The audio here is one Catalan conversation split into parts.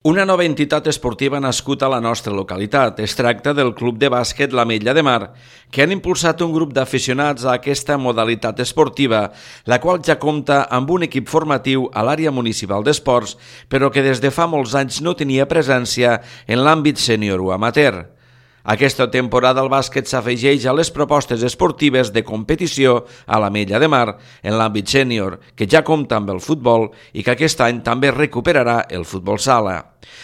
Una nova entitat esportiva nascut a la nostra localitat. Es tracta del Club de Bàsquet l'Ametlla de Mar, que han impulsat un grup d'aficionats a aquesta modalitat esportiva, la qual ja compta amb un equip formatiu a l'àrea municipal d'esports, però que des de fa molts anys no tenia presència en l'àmbit sènior o amateur. Aquesta temporada el bàsquet s'afegeix a les propostes esportives de competició a l'Ametlla de Mar en l'àmbit sènior, que ja compta amb el futbol i que aquest any també recuperarà el futbol sala.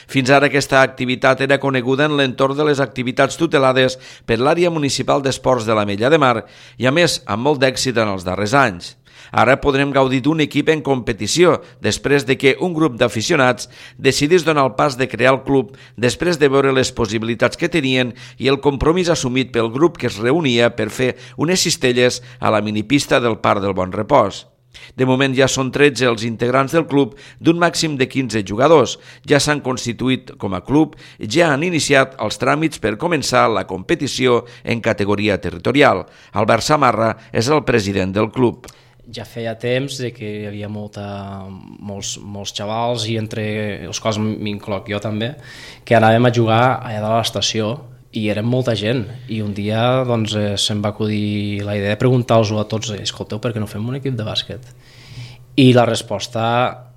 Fins ara aquesta activitat era coneguda en l'entorn de les activitats tutelades per l'àrea municipal d'esports de l'Ametlla de Mar i a més amb molt d'èxit en els darrers anys. Ara podrem gaudir d'un equip en competició després de que un grup d'aficionats decidís donar el pas de crear el club després de veure les possibilitats que tenien i el compromís assumit pel grup que es reunia per fer unes cistelles a la minipista del Parc del Bon Repòs. De moment ja són 13 els integrants del club d'un màxim de 15 jugadors. Ja s'han constituït com a club i ja han iniciat els tràmits per començar la competició en categoria territorial. Albert Samarra és el president del club. Ja feia temps que hi havia molts xavals, i entre els quals m'incloc jo també, que anàvem a jugar allà de l'estació i érem molta gent, i un dia se'm va acudir la idea de preguntar-los a tots: escolteu, per què no fem un equip de bàsquet? I la resposta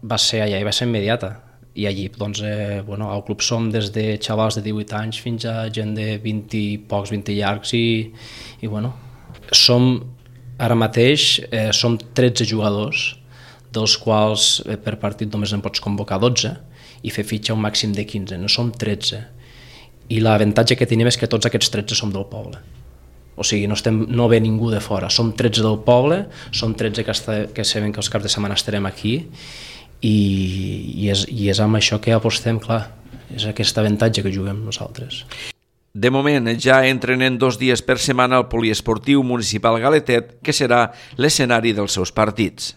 va ser allà i va ser immediata. I allí al club som des de xavals de 18 anys fins a gent de 20 i pocs, 20 llargs, i som ara mateix som 13 jugadors, dels quals per partit només en pots convocar 12 i fer fitxa un màxim de 15, no som 13. I l'avantatge que tenim és que tots aquests 13 som del poble. O sigui, no ve ningú de fora, som 13 del poble, som 13 que sabem que els caps de setmana estarem aquí, i és amb això que apostem, clar, és aquest avantatge que juguem nosaltres. De moment ja entrenen 2 dies per setmana al poliesportiu municipal Galetet, que serà l'escenari dels seus partits.